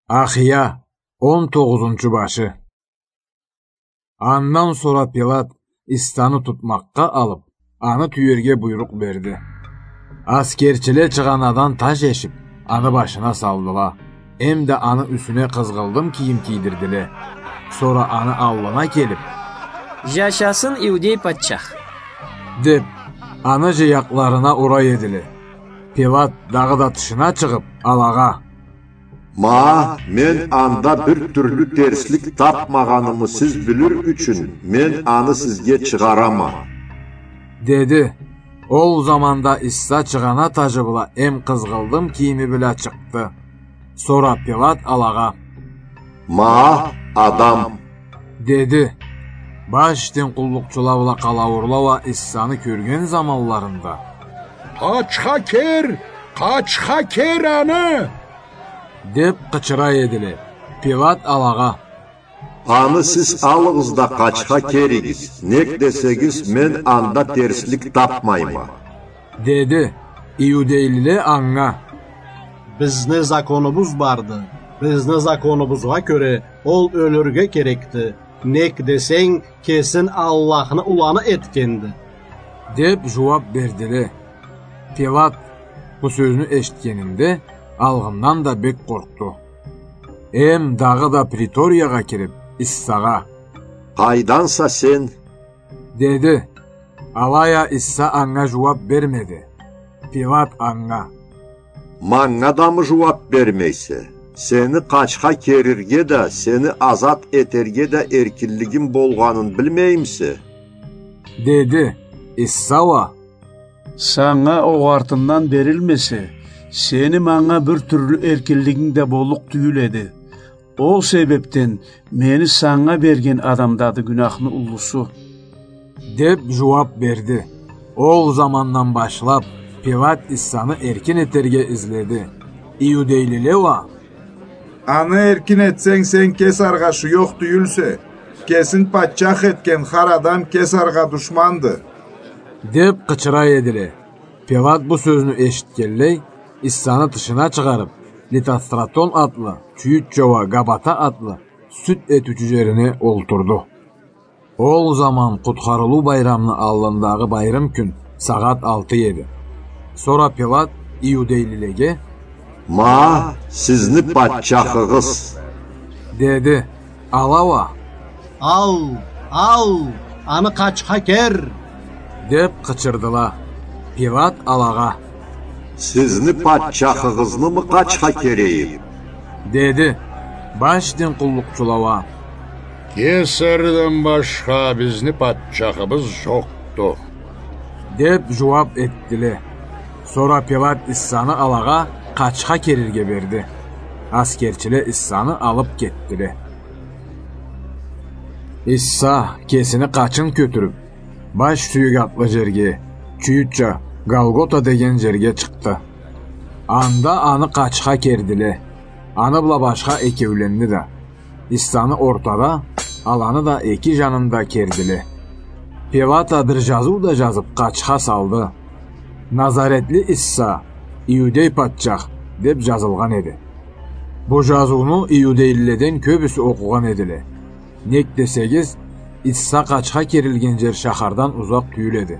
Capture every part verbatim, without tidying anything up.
Ахия, он тогъузунчу башы. Андан сора Пилат Иссаны тутмакъгъа алып, аны тюерге буйрукъ берди. Аскерчиле чыгъанадан таш эшип, аны башына салдыла. Эмда аны юсюне къызгъылдым кийим кийдирдиле. Сора аны аллына келип: «Жашасын иудей патчах!» — деп, аны жыякъларына ура эдиле. Пилат дагъыда тышына чыгъып, алагъа: «Ма, мен анда бир тюрлю терслик тапмагъанымы сиз билир ючюн, мен аны сизге чыгъарама», — деди. Ол заманда Исса чыгъана тажы бла эм къызгъылдым кийими бла чыкъды. Сора Пилат алагъа: «Ма, адам!» — деди. Баш дин къуллукъчула бла къалауурлала Иссаны кёрген заманларында: «Къачха кер! Къачха кер аны!» — деп къычыра эдиле. Пилат алагъа: «Аны сиз алыгъыз да къачха керигиз, нек десегиз, мен анда терслик тапмайма», — деди. Иудейлиле анга: «Бизни законубуз барды. Бизни законубузгъа кёре, ол ёлюрге керекди. Нек десенг, кесин Аллахны уланы этгенди», — деп жууап бердиле. Пилат бу сёзню эшитгенинде, алгъындан да бек къоркъду. Эм дагъыда приториягъа кирип, Иссагъа: «Къайданса сен?» — деди. Алай а Исса анга жууап бермеди. Пилат анга: «Манга дамы жууап бермейсе? Сени къачха керирге да, сени азат этерге да эркинлигим болгъанын билмеймисе?» — деди. Исса уа: «Санга огъартындан берилмесе, сени манга бир тюрлю эркинлигинг да боллукъ тюйюл эди. Ол себепден мени санга берген адамдады гюнахны уллусу», — деп жууап берди. Ол замандан башлап, Пилат Иссаны эркин этерге изледи. Иудейлиле уа: «Аны эркин этсенг, сен Кесаргъа шуёхъ тюйюлсе, кесин патчах этген хар адам Кесаргъа душманды», — деп къычыра эдиле. Пилат бу сёзню эшитгенлей, Иссаны тышына чыгъарып, Литостратон атлы, тюйютча уа Габата атлы, сюд этиучю жерине олтурду. Ол заман Къутхарылыу байрамны аллындагъы байрым кюн сагъат алты эди. Сора Пилат иудейлилеге: «Ма, сизни патчахыгъыз!» — деди. Ала уа: «Ал, ал, аны къачха кер!» — деп къычырдыла. Пилат алагъа: «Сизни патчахыгъызнымы къачха керейим?» — деди. Баш дин къуллукъчула уа: «Кесардан башха бизни патчахыбыз жокъду», — деп жууап этдиле. Сора Пилат Иссаны алагъа къачха керирге берди. Аскерчиле Иссаны алып кетдиле. Исса кесини къачын кётюрюп, баш сюек атлы жерге, тюйютча Голгота деген жерге чыкъды. Анда аны къачха кердиле. Аны бла башха экеуленни да, Иссаны ортада, аланы да эки жанында кердиле. Пилат а бир жазыу да жазып, къачха салды. «Назаретли Исса, иудей патчах» деп жазылгъан эди. Бу жазыуну иудейлиледен кёбюсю окъугъан эдиле. Нек десегиз, Исса къачха керилген жер шахардан узакъ тюйюл эди.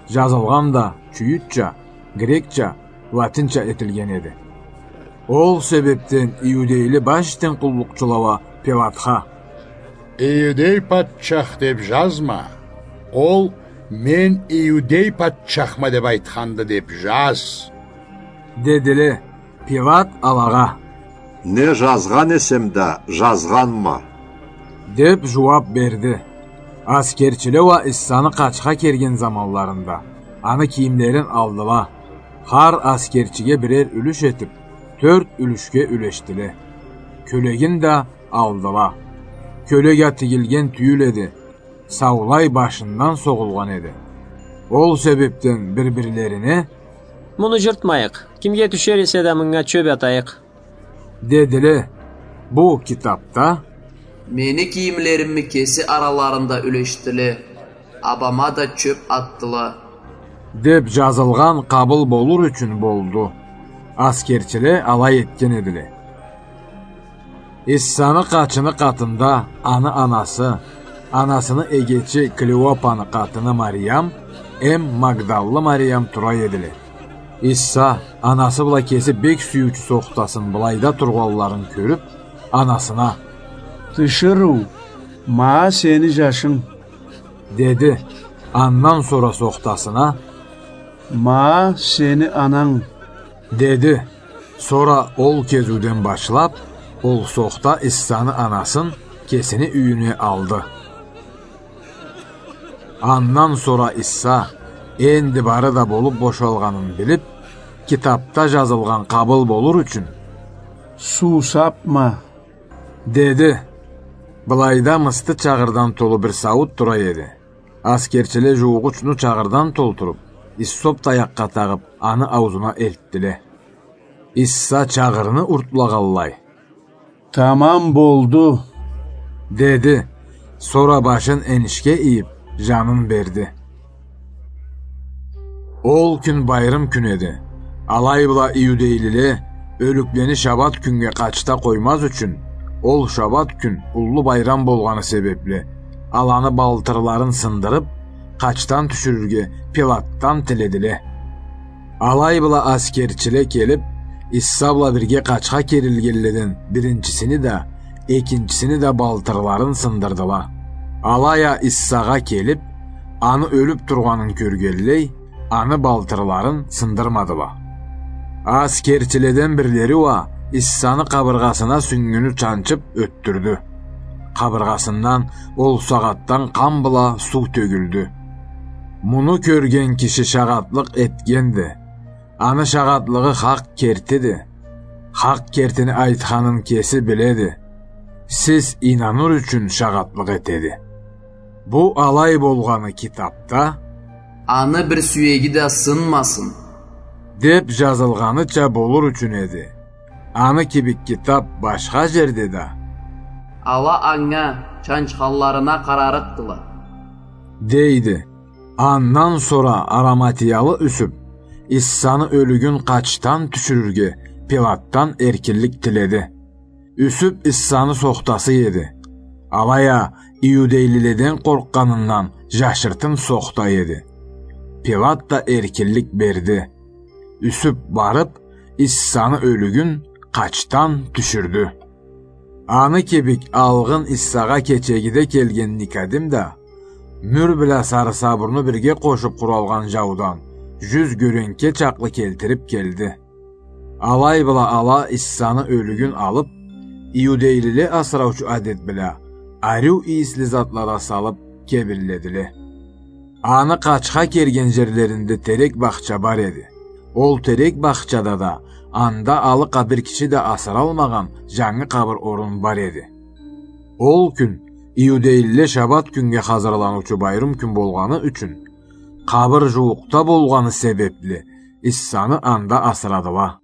Жазылгъан да тюйютча, грекча, латинча этилген эди. Ол себепден иудейли баш дин къуллукъчула уа Пилатха: «Иудей патчах деп жазма. Ол, мен иудей патчахма деп айтханды деп жаз», — дедиле. Пилат алагъа: «Не жазгъан эсем да, жазгъанма», — деп жууап берди. Аскерчиле уа Иссаны къачха керген заманларында аны кийимлерин алдыла. Хар аскерчиге бирер юлюш этип, тёрт юлюшге юлешдиле. Кёлегин да алдыла. Кёлек а тигилген тюйюл эди, саулай башындан согъулгъан эди. Ол себепден бир-бирлерине: «Муну жыртмайыкъ, кимге тюшер эсе да, мынга чёп атайыкъ», — дедиле. Бу китапда: «Мени кийимлеримни кеси араларында юлешдиле, абама да чёп атдыла», — деп жазылгъан къабыл болур ючюн болду. Аскерчиле алай этген эдиле. Иссаны къачыны къатында аны анасы, анасыны эгечи Клеопаны къатыны Мариям эм Магдаллы Мариям тура эдиле. Исса анасы бла кеси бек сюйюучю сохтасын былайда тургъанларын кёрюп, анасына: «Тиширыу, ма сени жашынг», — деди. Андан сора сохтасына: «Ма сени ананг», — деди. Сора ол кезиуден башлап, ол сохта Иссаны анасын кесини юйюне алды. Андан сора Исса, энди бары да болуп бошалгъанын билип, китапда жазылгъан къабыл болур ючюн: «Суусапма», — деди. Былайда мысты чагъырдан толу бир сауут тура эди. Аскерчиле жуугъучну чагъырдан толтуруп, иссоп таякъгъа тагъып, аны аузуна элтдиле. Исса чагъырны уртлагъанлай: «Тамам болду», — деди. Сора башын энишге ийип, жанын берди. Ол кюн байрым кюн эди. Алай бла иудейлиле ёлюклени шабат кюннге къачда къоймаз ючюн, ол шабат кюн уллу байрам болгъаны себепли, аланы балтырларын сындырып, къачдан тюшюрюрге Пилатдан тиледиле. Алай бла аскерчиле келип, Исса бла бирге къачха керилгенледен биринчисини да, экинчисини да балтырларын сындырдыла. Алай а Иссагъа келип, аны ёлюп тургъанын кёргенлей, аны балтырларын сындырмадыла. Аскерчиледен бирлери уа Иссаны къабыргъасына сюнгюню чанчып ётдюрдю. Къабыргъасындан ол сагъатдан къан бла суу тёгюлдю. Муну кёрген киши шагъатлыкъ этгенди. Аны шагъатлыгъы хакъ кертиди. Хакъ кертини айтханын кеси биледи. Сиз ийнаныр ючюн шагъатлыкъ этеди. Бу алай болгъаны китапда: «Аны бир сюеги да сынмасын», — деп жазылгъаныча болур ючюн эди. Аны кибик китап башха жерде да: «Ала анга чанчханларына къарарыкъдыла», — дейди. Андан сора араматиялы Юсюп Иссаны ёлюгюн къачдан тюшюрюрге Пилатдан эркинлик тиледи. Юсюп Иссаны сохтасы эди. Алай а иудейлиледен къоркъгъанындан жашыртын сохта эди. Пилат да эркинлик берди. Юсюп барып, Иссаны ёлюгюн къачдан тюшюрдю. Аны кибик алгъын Иссагъа кечегиде келген Никодим да, мюр бла сарысабурну бирге къошуп къуралгъан жаудан жюз гёренке чакълы келтирип келди. Алай бла ала Иссаны ёлюгюн алып, иудейлиле асыраучу адет бла, ариу ийисли затла да салып, кебинледиле. Аны къачха керген жерлеринде терек бахча бар эди. Ол терек бахчада да анда алыкъа бир киши да асыралмагъан жангы къабыр орун бар эди. Ол кюн иудейлиле шабат кюннге хазырланыучу байрым кюн болгъаны ючюн, къабыр жууукъда болгъаны себепли, Иссаны анда асырадыла.